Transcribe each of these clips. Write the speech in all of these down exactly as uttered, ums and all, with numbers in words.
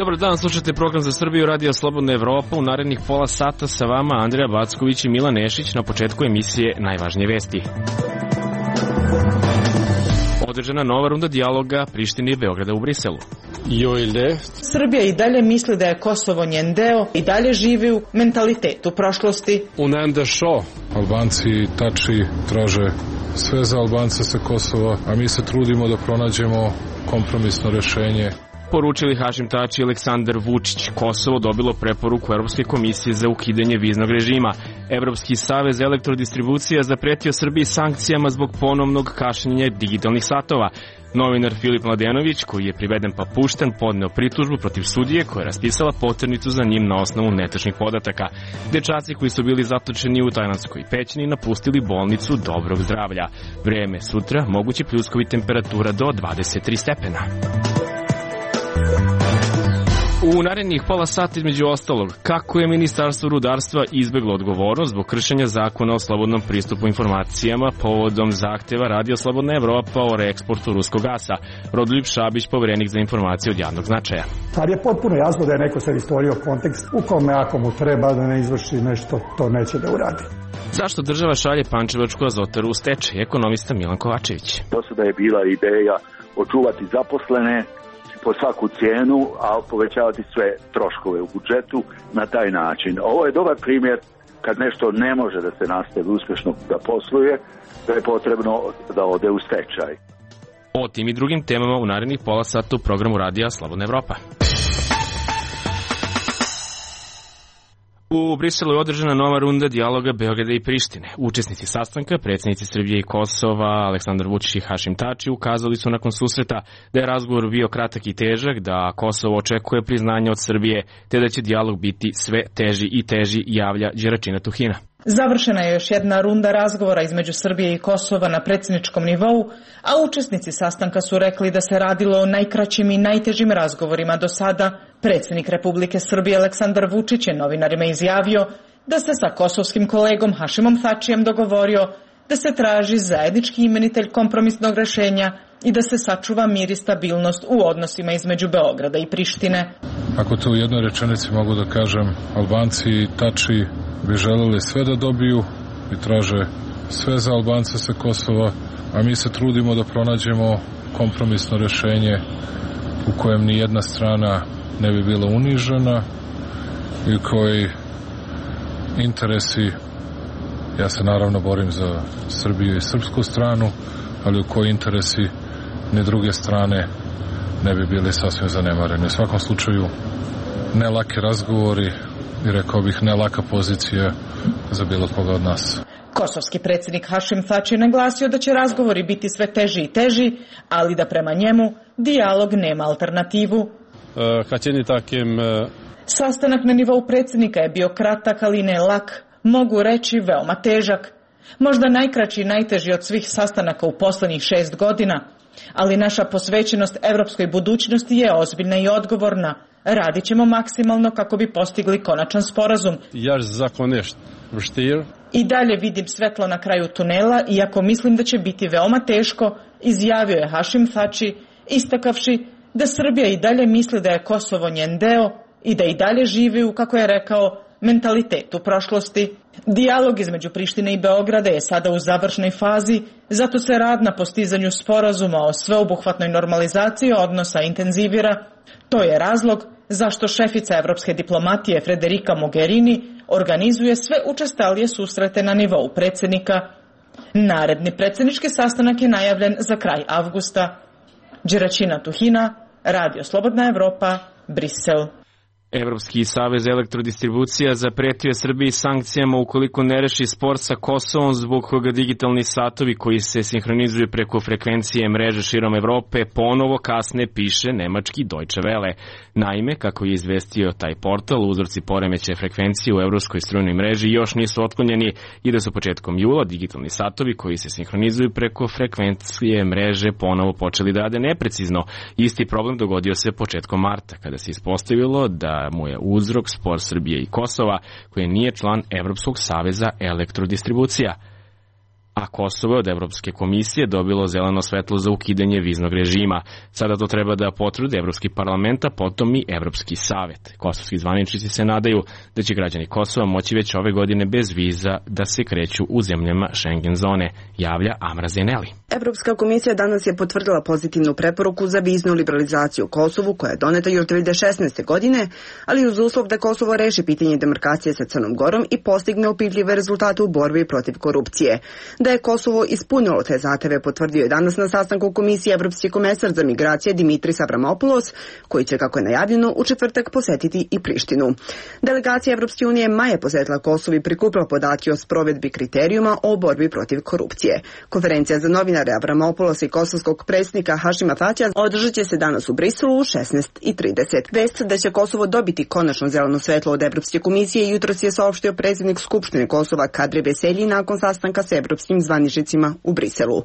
Dobar dan, slušate program za Srbiju, Radio Slobodna Evropa. U narednih pola sata sa vama Andreja Backović i Milan Nešić. Na početku emisije najvažnije vesti. Održana nova runda dijaloga Prištine i Beograda u Briselu. Srbija i dalje misli da je Kosovo njen deo i dalje živi u mentalitetu prošlosti. U Nende šo, Albanci tači traže sve za Albance sa Kosova, a mi se trudimo da pronađemo kompromisno rešenje. Poručili Hašim Tači i Aleksandar Vučić. Kosovo dobilo preporuku Evropske komisije za ukidanje viznog režima. Evropski savez elektrodistribucija zapretio Srbiji sankcijama zbog ponovnog kašnjenja digitalnih satova. Novinar Filip Mladenović, koji je priveden pa pušten, podneo pritužbu protiv sudije koja je raspisala poternicu za njim na osnovu netačnih podataka. Dečaci koji su bili zatočeni u tajlandskoj pećini napustili bolnicu dobrog zdravlja. Vreme sutra, mogući pljuskovi, temperatura do dvadeset tri stepena. U narednih pola sata između ostalog, kako je Ministarstvo rudarstva izbeglo odgovornost zbog kršenja zakona o slobodnom pristupu informacijama povodom zahteva Radio Slobodna Evropa o reeksportu ruskog gasa. Rodoljub Šabić, poverenik za informacije od javnog značaja. Ali je potpuno jasno da je neko sad stvorio kontekst u kome ako mu treba da ne izvrši nešto, to neće da uradi. Zašto država šalje Pančevačku azotaru u stečaj? Ekonomista Milan Kovačević. Do sada je bila ideja očuvati zaposlene po svaku cijenu, a povećavati sve troškove u budžetu na taj način. Ovo je dobar primjer kad nešto ne može da se nastavi uspješno da posluje, da je potrebno da ode u stečaj. O tim i drugim temama u narednih pola sata u programu Radija Slobodna Evropa. U Briselu je održana nova runda dijaloga Beograda i Prištine. Učesnici sastanka, predsjednici Srbije i Kosova, Aleksandar Vučić i Hašim Tači, ukazali su nakon susreta da je razgovor bio kratak i težak, da Kosovo očekuje priznanje od Srbije, te da će dijalog biti sve teži i teži, javlja Đeračina Tuhina. Završena je još jedna runda razgovora između Srbije i Kosova na predsjedničkom nivou, a učesnici sastanka su rekli da se radilo o najkraćim i najtežim razgovorima do sada. Predsjednik Republike Srbije Aleksandar Vučić je novinarima izjavio da se sa kosovskim kolegom Hašimom Tačijem dogovorio da se traži zajednički imenitelj kompromisnog rešenja i da se sačuva mir i stabilnost u odnosima između Beograda i Prištine. Ako to u jednoj rečenici mogu da kažem, Albanci i Tači bi želeli sve da dobiju i traže sve za Albance sa Kosova, a mi se trudimo da pronađemo kompromisno rešenje u kojem ni jedna strana ne bi bila unižena i koji interesi, ja se naravno borim za Srbiju i srpsku stranu, ali u koji interesi ni druge strane ne bi bili sasvim zanemareni. U svakom slučaju ne laki razgovori i rekao bih ne laka pozicija za bilo koga od nas. Kosovski predsjednik Hašim Tači je naglasio da će razgovori biti sve teži i teži, ali da prema njemu dijalog nema alternativu. Sastanak na nivou predsjednika je bio kratak, ali ne lak, mogu reći veoma težak. Možda najkraći i najteži od svih sastanaka u poslednjih šest godina, ali naša posvećenost evropskoj budućnosti je ozbiljna i odgovorna. Radit ćemo maksimalno kako bi postigli konačan sporazum. I dalje vidim svetlo na kraju tunela, iako mislim da će biti veoma teško, izjavio je Hašim Tači, istakavši da Srbija i dalje misli da je Kosovo njen deo i da i dalje živi u, kako je rekao, mentalitetu prošlosti. Dijalog između Prištine i Beograda je sada u završnoj fazi, zato se rad na postizanju sporazuma o sveobuhvatnoj normalizaciji odnosa intenzivira. To je razlog zašto šefica evropske diplomatije Frederica Mogherini organizuje sve učestalije susrete na nivou predsjednika. Naredni predsjednički sastanak je najavljen za kraj avgusta. Đeračina Tuhina, Radio Slobodna Evropa, Brisel. Evropski savez elektrodistribucija zapretio je Srbiji sankcijama ukoliko ne reši spor sa Kosovom zbog koga digitalni satovi koji se sinhronizuju preko frekvencije mreže širom Evrope ponovo kasne, piše nemački Deutsche Welle. Naime, kako je izvestio taj portal, uzroci poremećaja frekvencije u evropskoj strujnoj mreži još nisu otklonjeni i da su početkom jula digitalni satovi koji se sinhronizuju preko frekvencije mreže ponovo počeli da rade neprecizno. Isti problem dogodio se početkom marta, kada se ispostavilo da mu je uzrok spor Srbije i Kosova, koji nije član Evropskog saveza elektrodistribucija. a Kosovo je od Evropske komisije dobilo zeleno svetlo za ukidanje viznog režima. Sada to treba da potvrdi Evropski parlament, a potom i Evropski savet. Kosovski zvaničnici se nadaju da će građani Kosova moći već ove godine bez viza da se kreću u zemljama Schengen zone, javlja Amra Zeneli. Evropska komisija danas je potvrdila pozitivnu preporuku za viznu liberalizaciju u Kosovu, koja je doneta još dve hiljade šesnaeste. godine, ali uz uslov da Kosovo reši pitanje demarkacije sa Crnom Gorom i postigne opipljljive rezultate u borbi protiv korupcije. Da je Kosovo ispunilo te zahteve potvrdio je danas na sastanku komisije Evropski komesar za migracije Dimitris Avramopoulos, koji će, kako je najavljeno, u četvrtak posetiti i Prištinu. Delegacija Evropske unije maja posetila Kosovo i prikupila podatke o sprovedbi kriterijuma o borbi protiv korupcije. Konferencija za novinare Avramopoulos i kosovskog predsjednika Hašima Tačija održat će se danas u Briselu u šesnaest i trideset. Vest da će Kosovo dobiti konačno zeleno svetlo od Evropske komisije jutros je saopštio predsjednik Skupštine Kosova Kadri Veselji nakon sastanka sa evropskim zvaničnicima u Briselu.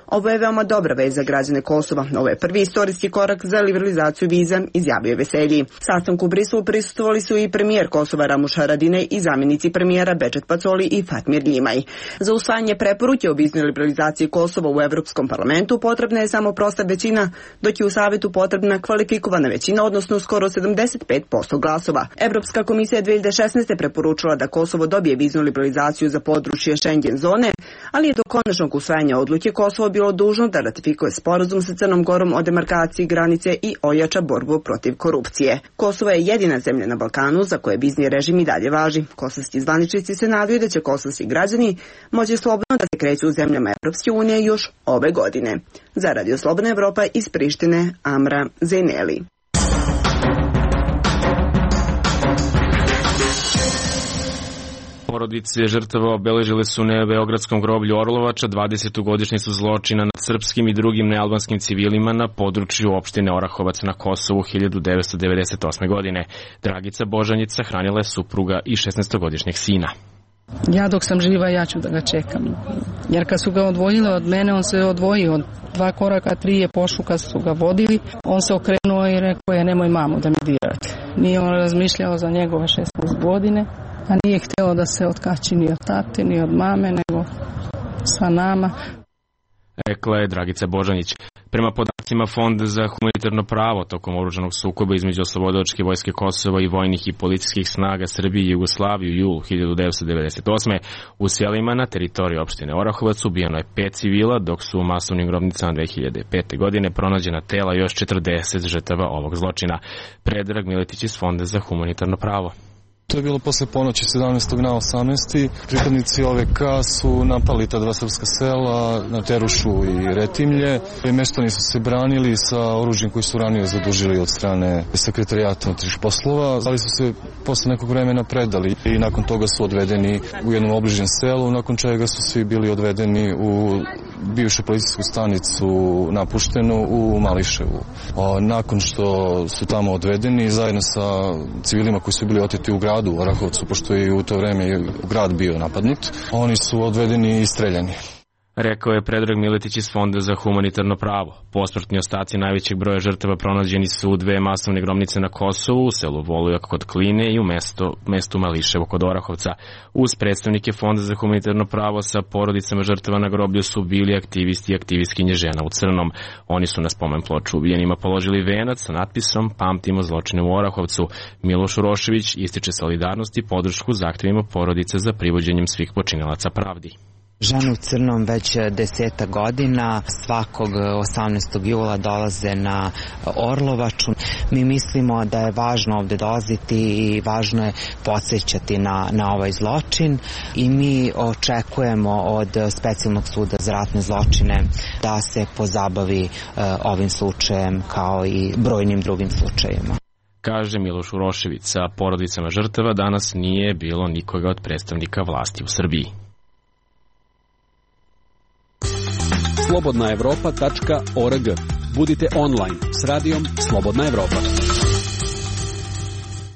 Ovo je veoma dobra vest za građane Kosova. Ovo je prvi istorijski korak za liberalizaciju viza, izjavio je Veselji. Sastanku u Briselu prisustvovali su i premijer Kosova Ramuš Haradinaj i zamjenici premijera Bečet Pacoli i Fatmir Ljimaj. Za usvajanje preporuke o viznoj liberalizaciji Kosova u Evropskom parlamentu potrebna je samo prosta većina, dok je u Savetu potrebna kvalifikovana većina, odnosno skoro sedamdeset pet posto glasova. Evropska komisija je dve hiljade šesnaeste. preporučila da Kosovo dobije viznu liberalizaciju za područje Schengen zone, ali je do konačnog usvajanja odluke Kosovo bilo dužno da ratifikuje sporazum sa Crnom Gorom o demarkaciji granice i ojača borbu protiv korupcije. Kosovo je jedina zemlja na Balkanu za koje vizni režim i dalje važi. Kosovski zvaničnici se nadaju da će kosovski građani moći slobodno da se kreću u zemljama Evropske unije još ove godine. Za Radio Slobodna Evropa iz Prištine, Amra Zeneli. Porodice žrtava obeležile su na beogradskom groblju Orlovača dvadesetu godišnjicu zločina nad srpskim i drugim nealbanskim civilima na području opštine Orahovac na Kosovu hiljadu devetsto devedeset osme. godine. Dragica Božanjica hranila je supruga i šesnaestogodišnjeg sina. Ja dok sam živa, ja ću da ga čekam. Jer kad su ga odvojile od mene, on se odvojio od dva koraka, tri je pošao kad su ga vodili. On se okrenuo i rekao je nemoj mamu da mi dirate. Nije on razmišljao za njegove šesnaest godine, a nije htjelo da se otkači ni od tate, ni od mame, nego sa nama. Rekla je Dragica Božanić. Prema podacima Fonda za humanitarno pravo, tokom oružanog sukoba između Oslobodilačke vojske Kosova i vojnih i policijskih snaga Srbije i Jugoslavije u julu hiljadu devetsto devedeset osme. u selima na teritoriji opštine Orahovac ubijeno je pet civila, dok su u masovnim grobnicama dve hiljade pete. godine pronađena tela još četrdeset žrtava ovog zločina. Predrag Miletić iz Fonda za humanitarno pravo. To je bilo posle ponoći sedamnaestog na osamnaesti. Pripadnici O V K su napali ta dva srpska sela na Terušu i Retimlje. Meštani su se branili sa oružjem koji su ranije zadužili od strane Sekretarijata unutrašnjih poslova, ali su se posle nekog vremena predali i nakon toga su odvedeni u jednom obližnjem selu, nakon čega su svi bili odvedeni u bivšu policijsku stanicu napuštenu u Mališevu. Nakon što su tamo odvedeni zajedno sa civilima koji su bili oteti u gradu u Orahovcu, pošto je u to vreme grad bio napadnut, oni su odvedeni i streljani. Rekao je Predrag Miletić iz Fonda za humanitarno pravo. Posmrtni ostaci najvećeg broja žrtava pronađeni su u dve masovne grobnice na Kosovu, u selu Volujak kod Kline i u mesto, mestu Mališevo kod Orahovca. Uz predstavnike Fonda za humanitarno pravo sa porodicama žrtava na groblju su bili aktivisti i aktivistkinje žena u crnom. Oni su na spomen ploču ubijenima položili venac sa natpisom Pamtimo zločine u Orahovcu. Miloš Urošević ističe solidarnost i podršku zahtevima porodice za privođenjem svih počinilaca pravdi. Žene u crnom već deseta godina svakog osamnaestog jula dolaze na Orlovaču. Mi mislimo da je važno ovde dolaziti i važno je podsjećati na, na ovaj zločin i mi očekujemo od Specijalnog suda za ratne zločine da se pozabavi uh, ovim slučajem kao i brojnim drugim slučajima. Kaže Miloš Urošević, sa porodicama žrtava danas nije bilo nikoga od predstavnika vlasti u Srbiji. slobodna evropa tačka org. Budite online s radijom Slobodna Evropa.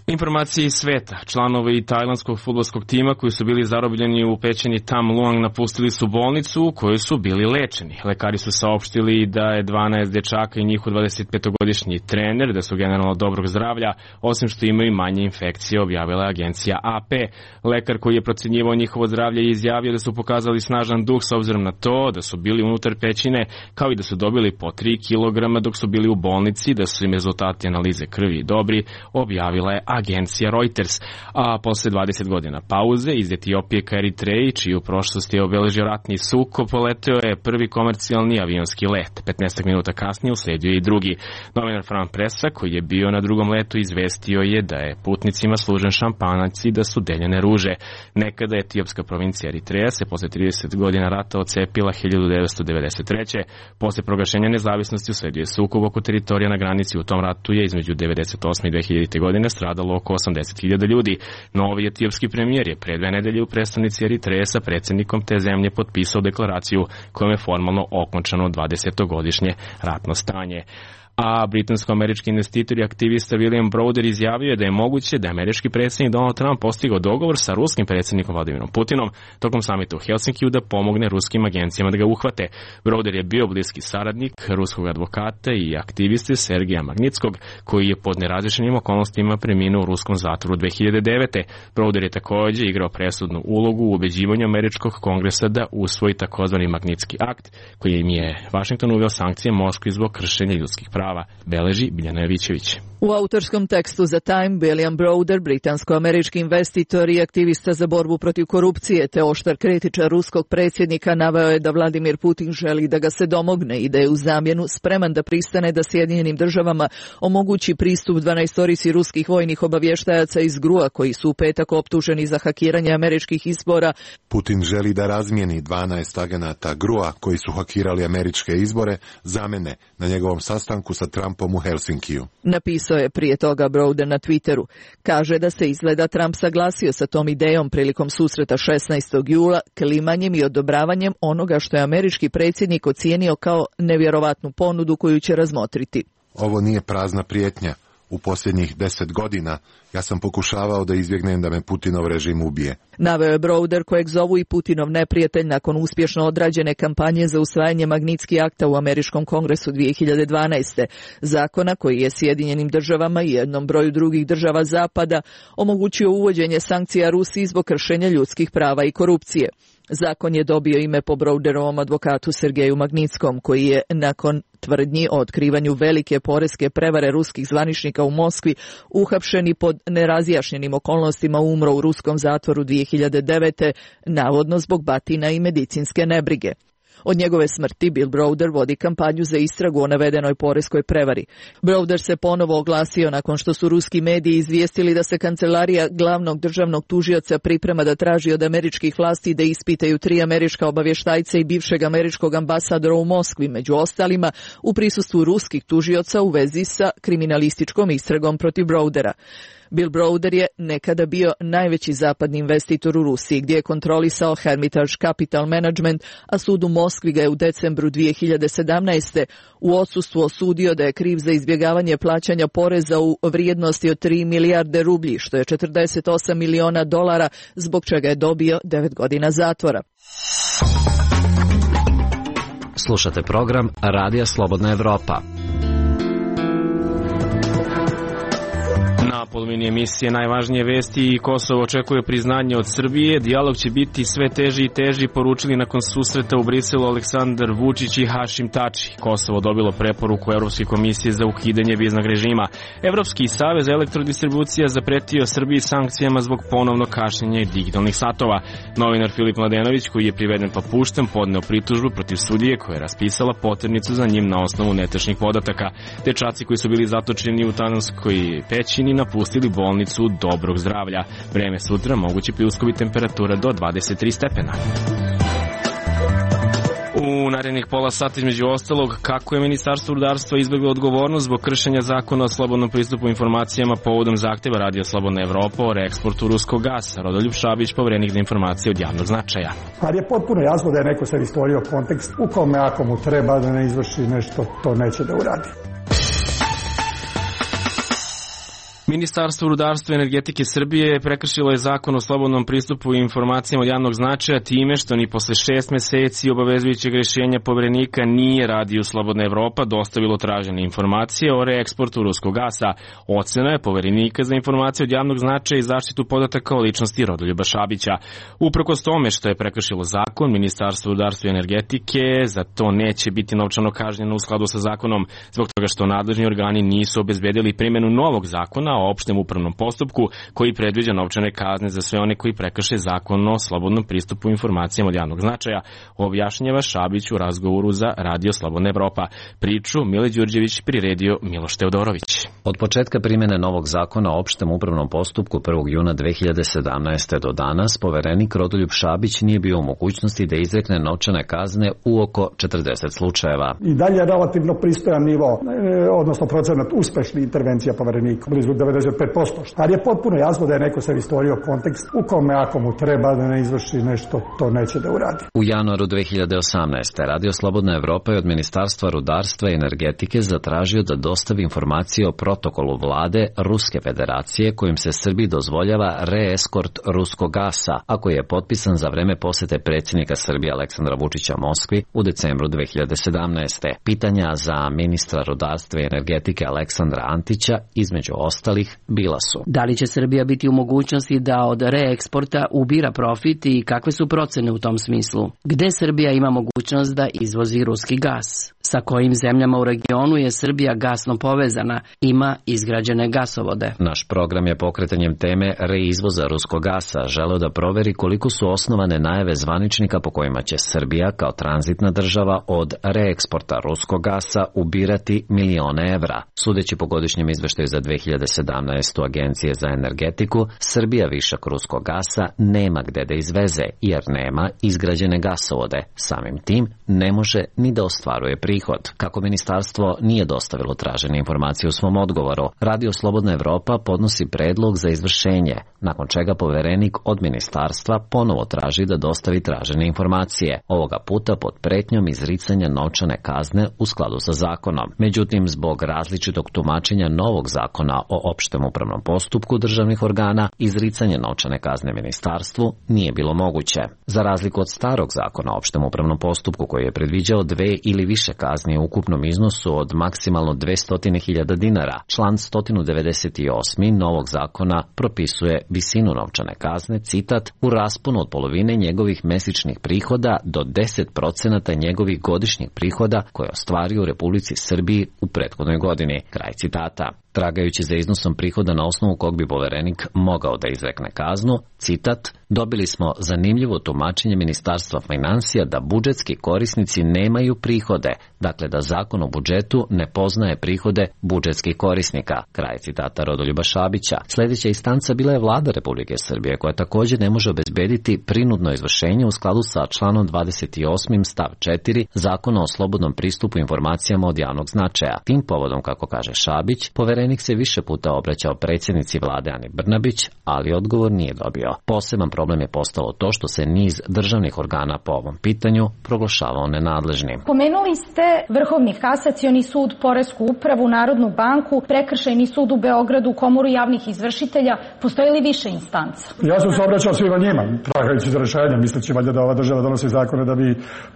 Informacije iz sveta. Članovi tajlandskog fudbalskog tima koji su bili zarobljeni u pećini Tam Luang napustili su bolnicu u kojoj su bili lečeni. Lekari su saopštili da je dvanaest dečaka i njihov dvadesetpetogodišnji trener, da su generalno dobrog zdravlja, osim što imaju manje infekcije, objavila je agencija A P. Lekar koji je procenjivao njihovo zdravlje je izjavio da su pokazali snažan duh s obzirom na to da su bili unutar pećine, kao i da su dobili po tri kilograma dok su bili u bolnici, da su im rezultati analize krvi dobri, objavila je agencija Reuters. A posle dvadeset godina pauze iz Etiopije ka Eritreji, čiju prošlost je obeležio ratni sukob, poleteo je prvi komercijalni avionski let. petnaest minuta kasnije usledio je i drugi. Novinar Fran Presa, koji je bio na drugom letu, izvestio je da je putnicima služen šampanac i da su deljene ruže. Nekada etiopska provincija Eritreja se posle trideset godina rata ocepila hiljadu devetsto devedeset treće. Posle proglašenja nezavisnosti usledio je sukob oko teritorija na granici. U tom ratu je između devedeset osme i dve hiljadite godine stradalo oko osamdeset hiljada ljudi. Novi etiopski premijer je pre dve nedelje u prestonici Eritreje sa predsjednikom te zemlje potpisao deklaraciju kojom je formalno okončano dvadesetogodišnje ratno stanje. A britansko-američki investitor i aktivista William Browder izjavio je da je moguće da je američki predsjednik Donald Trump postigao dogovor sa ruskim predsjednikom Vladimirom Putinom tokom samita u Helsinkiju da pomogne ruskim agencijama da ga uhvate. Browder je bio bliski saradnik ruskog advokata i aktiviste Sergeja Magnitskog, koji je pod nerazrešenim okolnostima preminuo u ruskom zatvoru dve hiljade devete. Browder je također igrao presudnu ulogu u ubeđivanju američkog kongresa da usvoji takozvani Magnitski akt, koji im je Vašington uveo sankcije Moskvi zbog kršenja ljudskih prava. Beleži Biljana Jovićević. U autorskom tekstu za Time, William Browder, britansko-američki investitor i aktivista za borbu protiv korupcije te oštar kritičar ruskog predsjednika, naveo je da Vladimir Putin želi da ga se domogne i da je u zamjenu spreman da pristane da Sjedinjenim državama omogući pristup dvanaestorici ruskih vojnih obavještajaca iz G R U-a koji su u petak optuženi za hakiranje američkih izbora. Putin želi da razmijeni dvanaest agenata G R U-a koji su hakirali američke izbore za mene na njegovom sastanku sa Trumpom u Helsinkiju. Napisao je prije toga Browder na Twitteru. Kaže da se izgleda Trump saglasio sa tom idejom prilikom susreta šesnaestog jula, klimanjem i odobravanjem onoga što je američki predsjednik ocijenio kao nevjerovatnu ponudu koju će razmotriti. Ovo nije prazna prijetnja. U posljednjih deset godina ja sam pokušavao da izbjegnem da me Putinov režim ubije. Naveo je Browder, kojeg zovu i Putinov neprijatelj nakon uspješno odrađene kampanje za usvajanje Magnitski akta u američkom kongresu dvije hiljade dvanaeste. Zakona koji je Sjedinjenim državama i jednom broju drugih država zapada omogućio uvođenje sankcija Rusiji zbog kršenja ljudskih prava i korupcije. Zakon je dobio ime po Browderovom advokatu Sergeju Magnitskom, koji je nakon tvrdnji o otkrivanju velike poreske prevare ruskih zvaničnika u Moskvi uhapšen i pod nerazjašnjenim okolnostima umro u ruskom zatvoru dvije hiljade devete, navodno zbog batina i medicinske nebrige. Od njegove smrti Bill Browder vodi kampanju za istragu o navedenoj poreskoj prevari. Browder se ponovo oglasio nakon što su ruski mediji izvijestili da se kancelarija glavnog državnog tužioca priprema da traži od američkih vlasti da ispitaju tri američka obavještajca i bivšeg američkog ambasadora u Moskvi, među ostalima u prisustvu ruskih tužioca u vezi sa kriminalističkom istragom protiv Browdera. Bill Browder je nekada bio najveći zapadni investitor u Rusiji, gdje je kontrolisao Hermitage Capital Management, a sud u Moskvi ga je u decembru dvije hiljade sedamnaeste u odsustvu osudio da je kriv za izbjegavanje plaćanja poreza u vrijednosti od tri milijarde rublji, što je četrdeset osam miliona dolara, zbog čega je dobio devet godina zatvora. Slušate program Radija Slobodna Evropa. Na polovini emisije najvažnije vesti i Kosovo očekuje priznanje od Srbije. Dijalog će biti sve teži i teži, poručili nakon susreta u Briselu Aleksandar Vučić i Hašim Tači. Kosovo dobilo preporuku Evropske komisije za ukidanje viznog režima. Evropski savez elektrodistribucija zapretio Srbiji sankcijama zbog ponovnog kašnjenja i digitalnih satova. Novinar Filip Mladenović, koji je priveden pa pušten, podneo pritužbu protiv sudije koja je raspisala poternicu za njim na osnovu netačnih podataka. Dečaci koji su bili zatočeni u Tananskoj pećini napustili bolnicu dobrog zdravlja. Vreme sutra moguće pljuskovi, temperatura do dvadeset tri stepena. U narednih pola sata između ostalog, kako je Ministarstvo rudarstva izbjeglo odgovornost zbog kršenja zakona o slobodnom pristupu informacijama povodom zahtjeva Radija Slobodna Evropa o reeksportu ruskog gasa. Rodoljub Šabić, poverenik za informacije od javnog značaja. Ali je potpuno jasno da je neko sad stvorio kontekst u kome ako mu treba da ne izvrši nešto, to neće da uradi. Ministarstvo rudarstva i energetike Srbije prekršilo je zakon o slobodnom pristupu i informacijama od javnog značaja time što ni posle šest meseci obavezujućeg rješenja Poverenika nije Radio Slobodna Evropa dostavilo tražene informacije o reeksportu ruskog gasa. Ocena je Poverenika za informacije od javnog značaja i zaštitu podataka o ličnosti Rodoljuba Šabića. Uprkos tome što je prekršilo zakon, Ministarstvo rudarstva i energetike za to neće biti novčano kažnjeno u skladu sa zakonom, zbog toga što nadležni organi nisu obezbedili primjenu novog zakona o opštem upravnom postupku koji predviđa novčane kazne za sve one koji prekrše zakon o slobodnom pristupu informacijama od javnog značaja, objašnjava Šabić u razgovoru za Radio Slobodna Evropa. Priču Mile Đurđević priredio Miloš Teodorović. Od početka primjene novog zakona o opštem upravnom postupku prvog juna dve hiljade sedamnaeste. do danas, poverenik Rodoljub Šabić nije bio u mogućnosti da izrekne novčane kazne u oko četrdeset slučajeva. I dalje je relativno pristojan nivo, odnosno procenat uspešnih intervencija poverenika, blizu devedeset pet posto. Ali je potpuno jasno da je neko sebi stvorio kontekst u kome ako mu treba da ne izvrši nešto, to neće da uradi. U januaru dve hiljade osamnaeste. Radio Slobodna Evropa je od Ministarstva rudarstva i energetike zatražio da dostavi informacije o protokolu vlade Ruske federacije kojim se Srbiji dozvoljava reeskort ruskog gasa, a koji je potpisan za vreme posete predsjednika Srbije Aleksandra Vučića Moskvi u decembru dve hiljade sedamnaeste. Pitanja za ministra rudarstva i energetike Aleksandra Antića, između ostalih, bila su: da li će Srbija biti u mogućnosti da od reeksporta ubira profit i kakve su procene u tom smislu? Gde Srbija ima mogućnost da izvozi ruski gas? Sa kojim zemljama u regionu je Srbija gasno povezana, ima izgrađene gasovode? Naš program je pokretanjem teme reizvoza ruskog gasa želeo da proveri koliko su osnovane najave zvaničnika po kojima će Srbija kao tranzitna država od reeksporta ruskog gasa ubirati milione evra. Sudeći po godišnjem izveštaju za dve hiljade sedamnaestu. Agencije za energetiku, Srbija višak ruskog gasa nema gde da izveze jer nema izgrađene gasovode. Samim tim ne može ni da ostvaruje prihod. Kako ministarstvo nije dostavilo tražene informacije u svom odgovoru, Radio Slobodna Evropa podnosi predlog za izvršenje, nakon čega poverenik od ministarstva ponovo traži da dostavi tražene informacije, ovoga puta pod pretnjom izricanja novčane kazne u skladu sa zakonom. Međutim, zbog različitog tumačenja novog zakona o opštem upravnom postupku državnih organa, izricanje novčane kazne ministarstvu nije bilo moguće. Za razliku od starog zakona o opštem upravnom postupku koji je predviđao dve ili više kazni u ukupnom iznosu od maksimalno dvesta hiljada dinara, član sto devedeset osam. novog zakona propisuje visinu novčane kazne, citat, u rasponu od polovine njegovih mesečnih prihoda do deset procenata njegovih godišnjih prihoda koje ostvario u Republici Srbiji u prethodnoj godini. Kraj citata. Tragajući za iznosom prihoda na osnovu kog bi poverenik mogao da izrekne kaznu, citat, dobili smo zanimljivo tumačenje Ministarstva finansija da budžetski korisnici nemaju prihode, dakle da zakon o budžetu ne poznaje prihode budžetskih korisnika. Kraj citata Rodoljuba Šabića. Sljedeća instanca bila je Vlada Republike Srbije, koja također ne može obezbediti prinudno izvršenje u skladu sa članom dvadeset osam. stav četiri Zakona o slobodnom pristupu informacijama od javnog značaja. Tim povodom, kako kaže Šabić, poverenik se više puta obraćao predsjednici vlade Ani Brnabić, ali odgovor nije dobio. Poseban problem je postalo to što se niz državnih organa po ovom pitanju proglašavao nenadležnim. Pomenuli ste Vrhovni kasacioni sud, Poresku upravu, Narodnu banku, Prekršajni sud u Beogradu, Komoru javnih izvršitelja. Postoje li više instanca? Ja sam se obraćao svima njima, tragajući za rešenje, misleći valjda da ova država donosi zakone da bi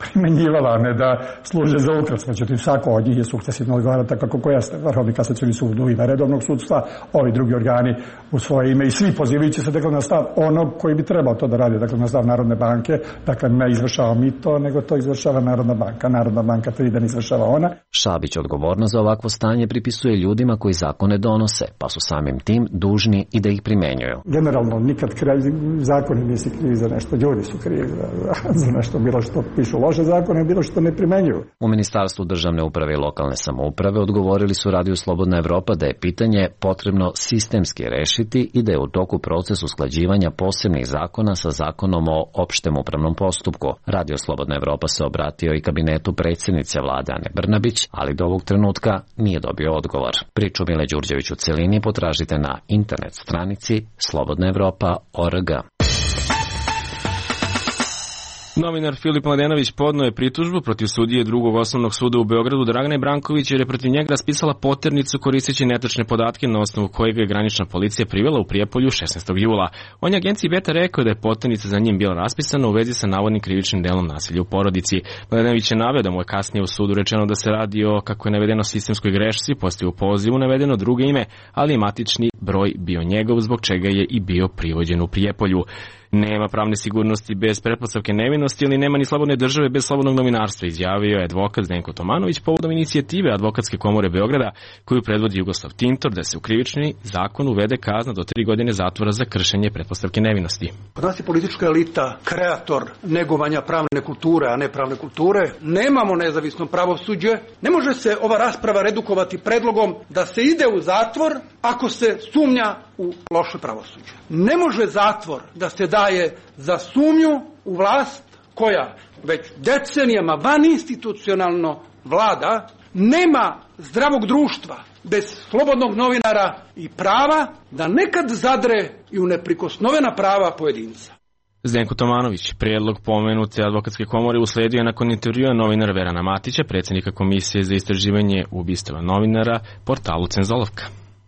primenjivala, a ne da služe za ukras. Međutim, svako od njih je sukcesivno odgovara tako kako jeste. Vrhovni kasacioni sud u ime redovnog sudstva, ovi drugi organi u svoje ime i svi pozivajući se dakle na stav onog koji bi trebao to da radi, dakle na stav Narodne banke, dakle ne izvršava mi to, nego to izvršava Narodna banka. Narodna banka tri da ne izvršava ona. Šabić odgovornost za ovakvo stanje pripisuje ljudima koji zakone donose, pa su samim tim dužni i da ih primenjuju. Generalno, nikad kraj, zakoni nisi krivi za nešto, ljudi su krivi za, za nešto, bilo što pišu loše zakone, bilo što ne primenjuju. U Ministarstvu državne uprave i lokalne samouprave odgovorili su Radio Slobodna Evropa da je pitanje potrebno sistemski rešiti i da je u toku proces usklađivanja posebnih zakona sa zakonom o opštem upravnom postupku. Radio Slobodna Evropa se obratio i kabinetu predsjednice vlade Ane Brnabić, ali do ovog trenutka nije dobio odgovor. Priču Mile Đurđević u celini potražite na internet stranici slobodna evropa tačka org. Novinar Filip Mladenović podneo je pritužbu protiv sudije drugog osnovnog suda u Beogradu Dragane Branković jer je protiv njega raspisala poternicu koristeći netačne podatke na osnovu kojeg je granična policija privela u Prijepolju šesnaestog jula. On je agenciji Beta rekao da je poternica za njim bila raspisana u vezi sa navodnim krivičnim delom nasilja u porodici. Mladenović je naveo da mu je kasnije u sudu rečeno da se radi o, kako je navedeno, sistemskoj grešci, postoji u pozivu navedeno drugo ime, ali je matični broj bio njegov, zbog čega je i bio privođen u Prijepolju. Nema pravne sigurnosti bez pretpostavke nevinosti, ali nema ni slobodne države bez slobodnog novinarstva, izjavio je advokat Zdenko Tomanović povodom inicijative Advokatske komore Beograda koju predvodi Jugoslav Tintor da se u krivični zakon uvede kazna do tri godine zatvora za kršenje pretpostavke nevinosti. Kod nas je politička elita kreator negovanja pravne kulture, a ne pravne kulture. Nemamo nezavisno pravosuđe. Ne može se ova rasprava redukovati predlogom da se ide u zatvor ako se sumnja u loše pravosuđe. Ne može zatvor da se daje za sumnju u vlast koja već decenijama vaninstitucionalno vlada. Nema zdravog društva bez slobodnog novinara i prava da nekad zadre i u neprikosnovena prava pojedinca. Zdenko Tomanović, prijedlog pomenute advokatske komore, usledio je nakon intervjua novinara Verana Matića, predsjednika Komisije za istraživanje ubistava novinara, portalu Cenzolovka.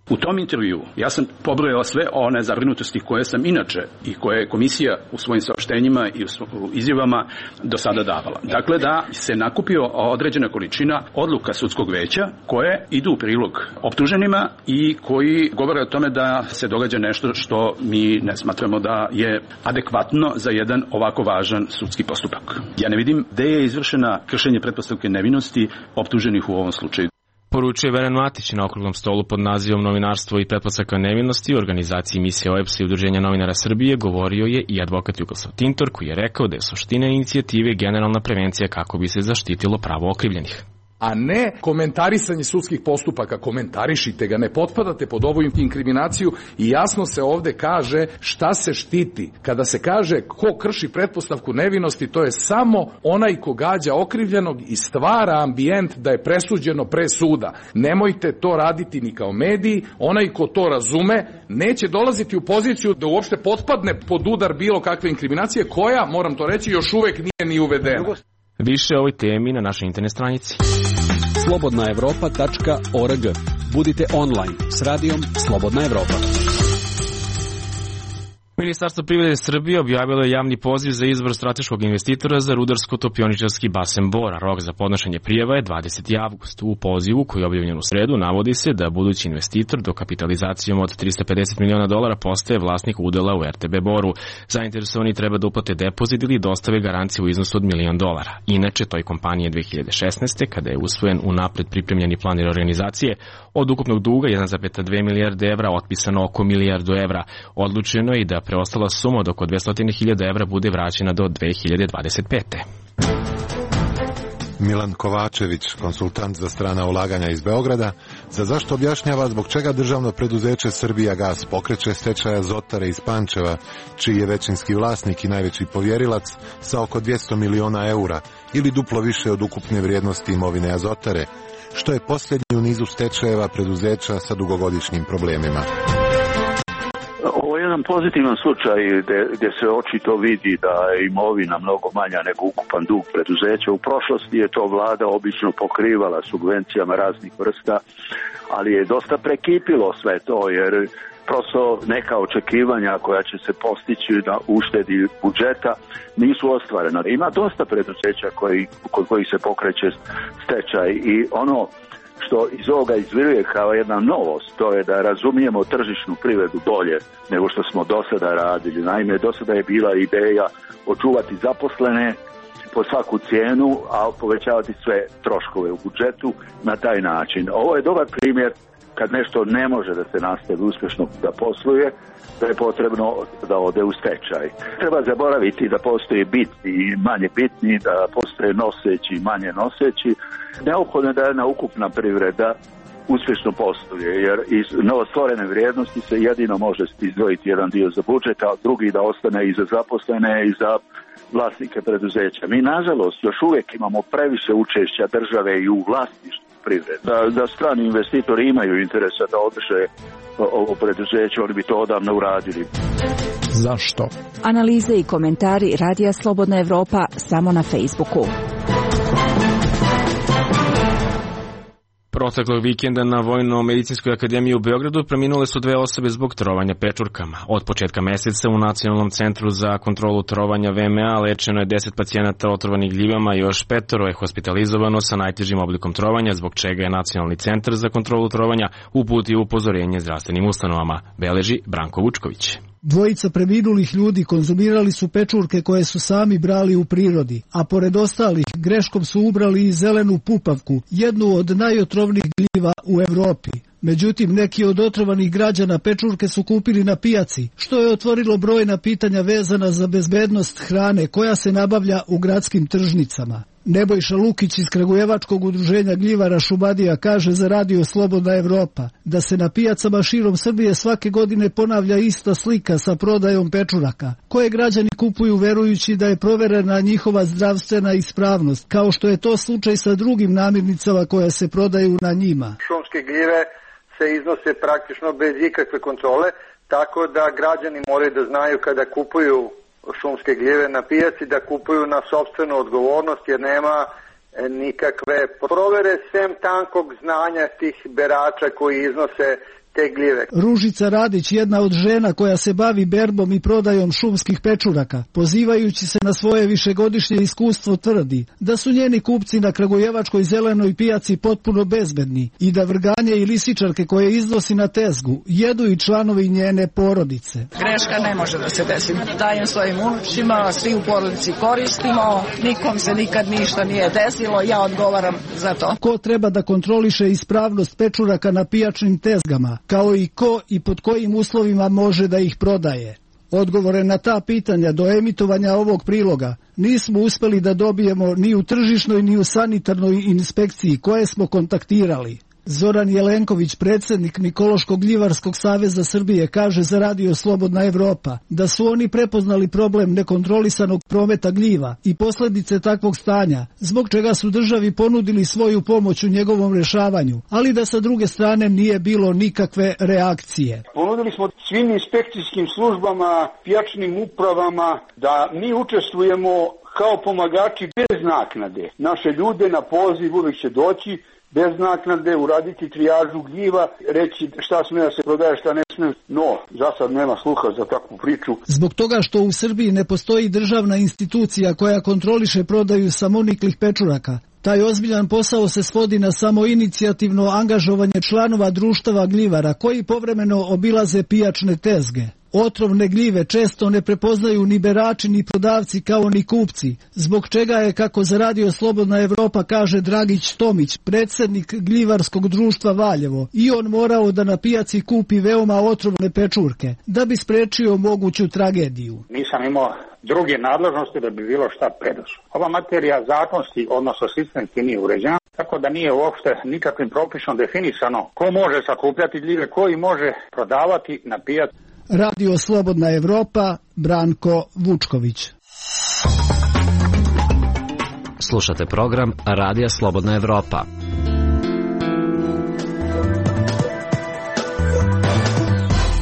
U tom intervju ja sam pobrojao sve one zabrinutosti koje sam inače i koje je komisija u svojim saopštenjima i u izjavama do sada davala. Dakle, da se nakupio određena količina odluka sudskog veća koje idu u prilog optuženima i koji govore o tome da se događa nešto što mi ne smatramo da je adekvatno za jedan ovako važan sudski postupak. Ja ne vidim gde je izvršena kršenje pretpostavke nevinosti optuženih u ovom slučaju. Poručuje Veran Matić na okruglom stolu pod nazivom Novinarstvo i pretpostavka nevinosti u organizaciji misije O E P S i Udruženja novinara Srbije govorio je i advokat Jugoslav Tintor koji je rekao da je suština inicijative generalna prevencija kako bi se zaštitilo pravo okrivljenih. A ne komentarisanje sudskih postupaka. Komentarišite ga, ne potpadate pod ovu inkriminaciju i jasno se ovde kaže šta se štiti. Kada se kaže ko krši pretpostavku nevinosti, to je samo onaj ko gađa okrivljenog i stvara ambijent da je presuđeno pre suda. Nemojte to raditi ni kao mediji, onaj ko to razume neće dolaziti u poziciju da uopšte potpadne pod udar bilo kakve inkriminacije koja, moram to reći, još uvek nije ni uvedena. Više o ovoj temi na našoj internet stranici. slobodna evropa tačka org. Budite online s radijom Slobodna Evropa. Ministarstvo privrede Srbije objavilo je javni poziv za izbor strateškog investitora za rudarsko-topioničarski basen Bora. Rok za podnošenje prijava je dvadeseti avgust. U pozivu koji je objavljen u sredu navodi se da budući investitor dokapitalizacijom od trista pedeset miliona dolara postaje vlasnik udela u R T B Boru. Zainteresovani treba da uplate depozit ili dostave garanciju u iznosu od milion dolara. Inače, toj kompanije dve hiljade šesnaeste. kada je usvojen unapred pripremljeni plan reorganizacije, od ukupnog duga jedan zarez dve milijarde evra otpisano oko milijardu evra. Odlučeno je i da preostala suma od oko dvesta hiljada evra bude vraćena do dve hiljade dvadeset pete. Milan Kovačević, konsultant za strana ulaganja iz Beograda, za zašto objašnjava zbog čega državno preduzeće Srbijagas pokreće stečaj Azotare iz Pančeva, čiji je većinski vlasnik i najveći povjerilac sa oko dvesta miliona eura ili duplo više od ukupne vrijednosti imovine Azotare, što je posljednji u nizu stečajeva preduzeća sa dugogodišnjim problemima. Ovo je jedan pozitivan slučaj gdje, gdje se očito vidi da je imovina mnogo manja nego ukupan dug preduzeća. U prošlosti je to vlada obično pokrivala subvencijama raznih vrsta, ali je dosta prekipilo sve to jer prosto neka očekivanja koja će se postići na uštedi budžeta nisu ostvarena. Ima dosta preduzeća koji, kod kojih se pokreće stečaj i ono što iz ovoga izviruje kao jedna novost, to je da razumijemo tržišnu privredu bolje nego što smo do sada radili. Naime, do sada je bila ideja očuvati zaposlene po svaku cijenu, a povećavati sve troškove u budžetu na taj način. Ovo je dobar primjer kad nešto ne može da se nastavi uspješno da posluje, da je potrebno da ode u stečaj. Treba zaboraviti da postoje bitni i manje bitni, da postoje noseći i manje noseći. Neophodno je da jedna ukupna privreda uspješno posluje, jer iz novostvorene vrijednosti se jedino može izdvojiti jedan dio za budžet, a drugi da ostane i za zaposlene i za vlasnike preduzeća. Mi, nažalost, još uvijek imamo previše učešća države i u vlasništvu privrede. Da, da strani investitori imaju interesa da održe ovo preduzeće, oni bi to odavno uradili. Zašto? Analize i komentari Radija Slobodna Evropa samo na Facebooku. Proteklog vikenda na Vojno-medicinskoj akademiji u Beogradu preminule su dve osobe zbog trovanja pečurkama. Od početka meseca u Nacionalnom centru za kontrolu trovanja V M A lečeno je deset pacijenata otrovanih gljivama i još petoro je hospitalizovano sa najtežim oblikom trovanja, zbog čega je Nacionalni centar za kontrolu trovanja uputio upozorenje zdravstvenim ustanovama, beleži Branko Vučković. Dvojica preminulih ljudi konzumirali su pečurke koje su sami brali u prirodi, a pored ostalih greškom su ubrali i zelenu pupavku, jednu od najotrovnijih gljiva u Evropi. Međutim, neki od otrovanih građana pečurke su kupili na pijaci, što je otvorilo brojna pitanja vezana za bezbednost hrane koja se nabavlja u gradskim tržnicama. Nebojša Lukić iz Kragujevačkog udruženja gljivara Šumadija kaže za Radio Slobodna Evropa da se na pijacama širom Srbije svake godine ponavlja ista slika sa prodajom pečuraka, koje građani kupuju verujući da je proverena njihova zdravstvena ispravnost, kao što je to slučaj sa drugim namirnicama koje se prodaju na njima. Šumske gljive se iznose praktično bez ikakve kontrole, tako da građani moraju da znaju kada kupuju šumske gljive na pijaci da kupuju na sopstvenu odgovornost, jer nema nikakve provere sem tankog znanja tih berača koji iznose te gljive. Ružica Radić, jedna od žena koja se bavi berbom i prodajom šumskih pečuraka, pozivajući se na svoje višegodišnje iskustvo, tvrdi da su njeni kupci na Kragujevačkoj zelenoj pijaci potpuno bezbedni i da vrganje i lisičarke koje iznosi na tezgu jedu i članovi njene porodice. Greška ne može da se desi. Dajem svojim unučima, svi u porodici koristimo, nikom se nikad ništa nije desilo, ja odgovaram za to. Ko treba da kontroliše ispravnost pečuraka na pijačnim tezgama, kao i ko i pod kojim uslovima može da ih prodaje? Odgovore na ta pitanja do emitovanja ovog priloga nismo uspeli da dobijemo ni u tržišnoj ni u sanitarnoj inspekciji koje smo kontaktirali. Zoran Jelenković, predsjednik Mikološkog gljivarskog saveza Srbije, kaže za Radio Slobodna Evropa da su oni prepoznali problem nekontrolisanog prometa gljiva i posljedice takvog stanja, zbog čega su državi ponudili svoju pomoć u njegovom rješavanju, ali da sa druge strane nije bilo nikakve reakcije. Ponudili smo svim inspekcijskim službama, pijačnim upravama da mi učestvujemo kao pomagači bez naknade. Naše ljude na poziv uvijek će doći bez naknade, uraditi trijažu gljiva, reći šta sme da se prodaje, šta ne sme, no za sad nema sluha za takvu priču. Zbog toga što u Srbiji ne postoji državna institucija koja kontroliše prodaju samoniklih pečuraka, taj ozbiljan posao se svodi na samo inicijativno angažovanje članova društava gljivara koji povremeno obilaze pijačne tezge. Otrovne gljive često ne prepoznaju ni berači ni prodavci kao ni kupci, zbog čega je, kako za Radio Slobodna Evropa kaže Dragić Tomić, predsjednik gljivarskog društva Valjevo, i on morao da na pijaci kupi veoma otrovne pečurke, da bi sprečio moguću tragediju. Nisam imao druge nadležnosti da bi bilo šta preduzeo. Ova materija zakonski, odnosno sistemski nije uređena, tako da nije uopšte nikakvim propisom definisano ko može sakupljati gljive, koji može prodavati na pijaci. Radio Slobodna Evropa, Branko Vučković. Slušate program Radija Slobodna Evropa.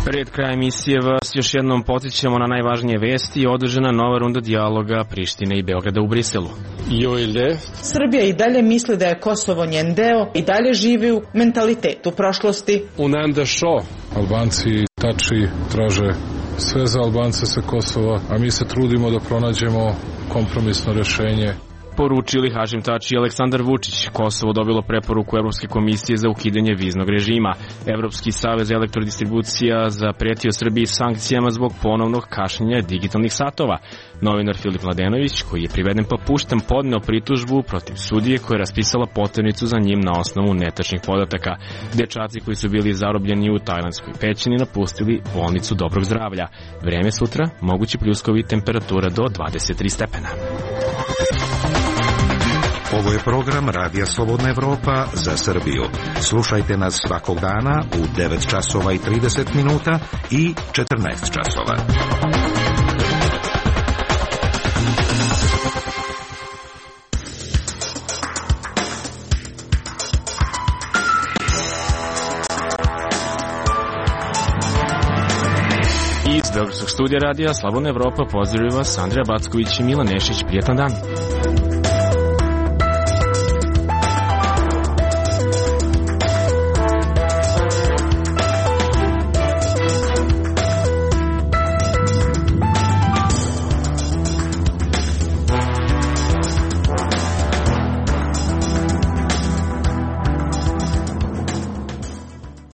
Pred kraj emisije vas još jednom podsjećamo na najvažnije vesti. Održana nova runda dijaloga Prištine i Beograda u Briselu. Srbija i dalje misli da je Kosovo njen deo i dalje živi u mentalitetu prošlosti. Albanci tači traže sve za Albance sa Kosova, a mi se trudimo da pronađemo kompromisno rješenje. Poručili Hašim Tači i Aleksandar Vučić. Kosovo dobilo preporuku Evropske komisije za ukidanje viznog režima. Evropski savez elektrodistribucija zapretio Srbiji sankcijama zbog ponovnog kašnjenja digitalnih satova. Novinar Filip Mladenović, koji je priveden pa pušten, podneo pritužbu protiv sudije koja je raspisala poternicu za njim na osnovu netačnih podataka. Dečaci koji su bili zarobljeni u tajlandskoj pećini napustili bolnicu dobrog zdravlja. Vreme sutra, mogući pljuskovi, temperatura do dvadeset tri stepena. Ovo je program Radija Slobodna Evropa za Srbiju. Slušajte nas svakog dana u devet časova i trideset minuta i četrnaest časova. Iz Iz Beogradskog studija radija Slobodna Evropa pozdravljaju vas Andreja Backović i Milan Nešić. Prijetan dan.